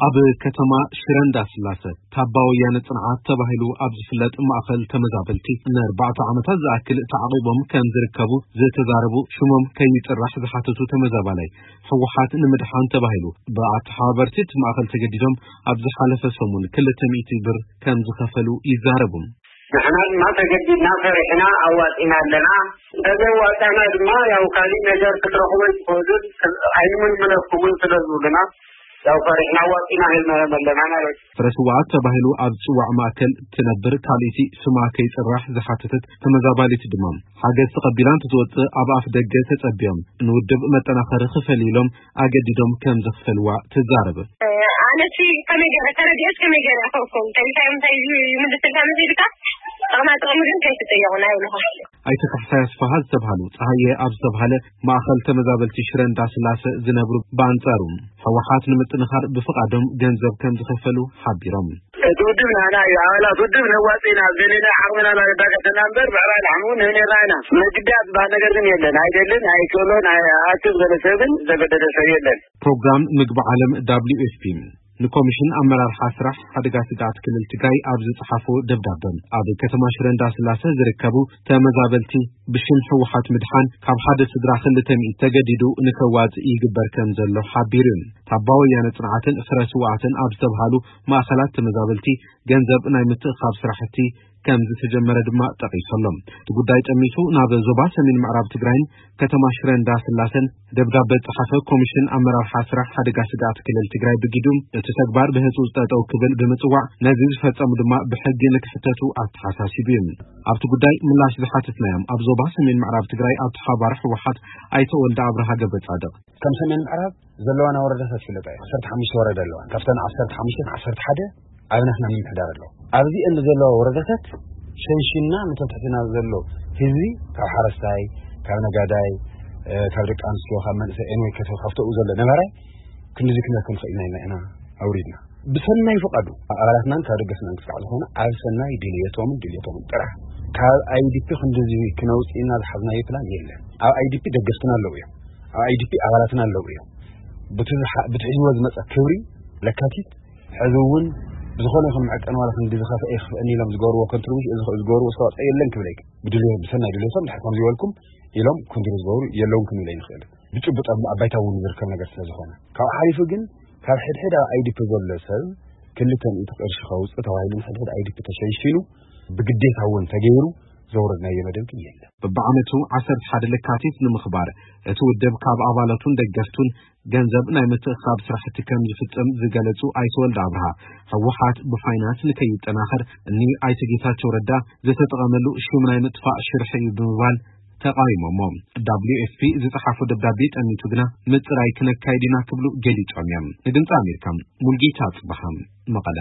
ኣብ ከተማ ሽረ እንዳስላሰ ታባ ወያነ ጽንዓት ተባሂሉ ኣብ ዝፍለጥ ማእኸል ተመዛበልቲ ንኣርባዕተ ዓመታት ዝኣክል ተዓቒቦም ከም ዝርከቡ ዝተዛረቡ ሽሞም ከይጽራሕ ዝሓተቱ ተመዛባላይ፣ ህወሓት ንምድሓን ተባሂሉ ብኣተሓባበርቲ እቲ ማእኸል ተገዲዶም ኣብ ዝሓለፈ ሰሙን ክልተ ሚእቲ ብር ከም ዝኸፈሉ ይዛረቡ። ንሕና ድማ ተገዲድና ፈሪሕና ኣዋጺና ኣለና። እንተዘይዋጻና ድማ ያው ካሊእ ነገር ክትረኽቡ ኣይትኽእሉን፣ ኣይንምልምለኩምን ስለ ዝብሉና ያው ፈሪሕና ኣዋጺና ሂብናዮም ኣለና ማለት እዩ። ፍረ ስውኣት ተባሂሉ ኣብ ዝጽዋዕ ማእከል ትነብር ካልእቲ ስማ ከይጽራሕ ዝሓተተት ተመዛባሊት ድማ፣ ሓገዝ ተቐቢላ እንትትወጽእ ኣብ ኣፍ ደገ ተጸቢዮም ንውድብ መጠናኸሪ ክፈል ኢሎም ኣገዲዶም ከም ዘኽፈልዋ ትዛረብ። ኣነሲ ከመይ ገይረ ተረዲኦስ ከመይ ገይረ ይኸውኩም? እንታይ እንታይ ይምልስልካ መሲልካ? ጥቕማ ጥቕሚ ግን ከይትጠየቑና ይብልኹም። ኣይተ ካሕሳይ ኣስፋሃ ዝተብሃሉ ጸሃየ ኣብ ዝተብሃለ ማእኸል ተመዛበልቲ ሽረ እንዳስላሰ ዝነብሩ ብኣንጻሩ፣ ህወሓት ንምጥንኻር ብፍቓዶም ገንዘብ ከም ዝኸፈሉ ሓቢሮም። እቲ ውድብ ናና እዩ። ኣባላት ውድብ ነዋጽ ኢና፣ ኣብ ደለና ዓቕምና እናተዳገፈና እምበር ብዕራይ ላሕሚ እውን ንህብ ነርና ኢና። መግዳት ዝበሃል ነገር ግን የለን። ኣይደልን፣ ኣይክእሎን፣ ኣይ-፣ ኣክብ ዝበለ ሰብ ግን ዝተገደደ ሰብ የለን። ፕሮግራም ምግቢ ዓለም፣ ደብሊው ኤፍ ፒ፣ ንኮሚሽን ኣመራርሓ ስራሕ ሓደጋ ስግኣት ክልል ትግራይ ኣብ ዝጸሓፎ ደብዳበ፣ ኣብ ከተማ ሽረ እንዳስላሰ ዝርከቡ ተመዛበልቲ ብሽም ህወሓት ምድሓን ካብ ሓደ ስድራ ክልተ ሚእቲ ተገዲዱ ንከዋጽእ ይግበር ከም ዘሎ ሓቢሩ። ታባ ወያነ ጽንዓትን ፍረ ስውኣትን ኣብ ዝተብሃሉ ማእኸላት ተመዛበልቲ ገንዘብ ናይ ምትእኻብ ስራሕቲ ከም ዝተጀመረ ድማ ጠቒሱ ኣሎ። እቲ ጉዳይ ጠሚቱ ናብ ዞባ ሰሜን ምዕራብ ትግራይን ከተማ ሽረ እንዳስላሰን ደብዳበ ዝጸሓፈ ኮሚሽን ኣመራርሓ ስራሕ ሓደጋ ስግኣት ክልል ትግራይ ብጊዱ፣ እቲ ተግባር ብህጹጽ ጠጠው ክብል ብምጽዋዕ፣ ነዚ ዝፈጸሙ ድማ ብሕጊ ንክሕተቱ ኣተሓሳሲቡ እዩ። ኣብቲ ጉዳይ ምላሽ ዝሓተትናዮም ኣብ ዞባ ሰሜን ምዕራብ ትግራይ ኣተሓባባሪ ህወሓት ኣይተ ወልደ ኣብርሃ ገብረ ጻድቕ፣ ከም ሰሜን ምዕራብ ዘለዋና ወረዳታት ይፍለጣ እዩ። ዓሰርተ ሓሙሽተ ወረዳ ኣለዋ። ካብተን ዓሰርተ ሓሙሽተ ዓሰርተ ሓደ ኣብ ናትና ምምሕዳር ኣለዋ። ኣብዚአን ዘለዋ ወረዳታት ሸንሽና ነቶም ትሕትና ዘሎ ህዝቢ፣ ካብ ሓረስታይ፣ ካብ ነጋዳይ፣ እ፣ ካብ ደቂ ኣንስትዮ፣ ካብ መንእሰይ፣ ኤንወይ ከተ ካብተኡ ዘሎ ነባራይ ክንድዚ ክንረክብ ንኽእል ኢና ኢልና ኢና ኣውሪድና። ብሰናይ ፍቓዱ ኣባላትናን ካብ ደገፍናን ክሳዕ ዝኾነ ኣብ ሰናይ ድልየቶምን ድልየቶምን ጥራሕ። ካብ ኣይዲፒ ክንድዚ ክነውፅእና ዝሓዝናዮ ፕላን የለን። ኣብ ኣይዲፒ ደገፍትና ኣለዉ እዮም። ኣብ ኣይዲፒ ኣባላትና ኣለዉ እዮም። ብቲ ዝሓ-፣ ብቲ ሒዝዎ ዝመፀ ክብሪ ለካቲት ሕዚ እውን ብዝኾነ ይኹን መዐቀኒ ዋላ ክንዲ ዝኸፍአ ይኽፍአኒ ኢሎም ዝገበርዎ ኮንትሪቡሽን፣ እዚ ዝገበርዎ ኣስተዋፅኦ የለን ክብል ኣይክእል። ብድልዮ-፣ ብሰናይ ድልየቶም ድሕር ከም ዝበልኩም ኢሎም ኮንትሪቡሽን ዝገብሩ የለውን ክንብል ኣይንኽእል። ብጭቡጥ ኣብ፣ ኣብ ባይታ እውን ዝርከብ ነገር ስለ ዝኾነ። ካብኡ ሓሊፉ ግን ካብ ሕድሕድ ኣብ ኣይዲፒ ዘሎ ሰብ ክልተ ሚእቲ ቅርሺ ከውፅእ ተባሂሉ ንሕድሕድ ኣይዲፒ ተሸንሺኑ ብግዴታ እውን ተገይሩ ዘውረድናዮ መደብ ግን የለን። በብዓመቱ ዓሰርተ ሓደ ለካቲት ንምኽባር እቲ ውድብ ካብ ኣባላቱን ደገፍቱን ገንዘብ ናይ ምትእኻብ ስራሕቲ ከም ዝፍጽም ዝገለጹ ኣይተ ወልደ ኣብርሃ፣ ህወሓት ብፋይናንስ ንከይጠናኸር እኒ ኣይተ ጌታቸው ረዳ ዝተጠቐመሉ ሽም ናይ ምጥፋእ ሽርሒ እዩ ብምባል ተቃዊሞሞ። ደብሊው ኤፍ ፒ ዝጸሓፎ ደብዳቤ ጠሚቱ ግና ምጽራይ ክነካይድ ኢና ክብሉ ገሊጾም እዮም። ንድምጺ ኣሜሪካ ሙልጌታ ጽበሓ፣ መቐለ።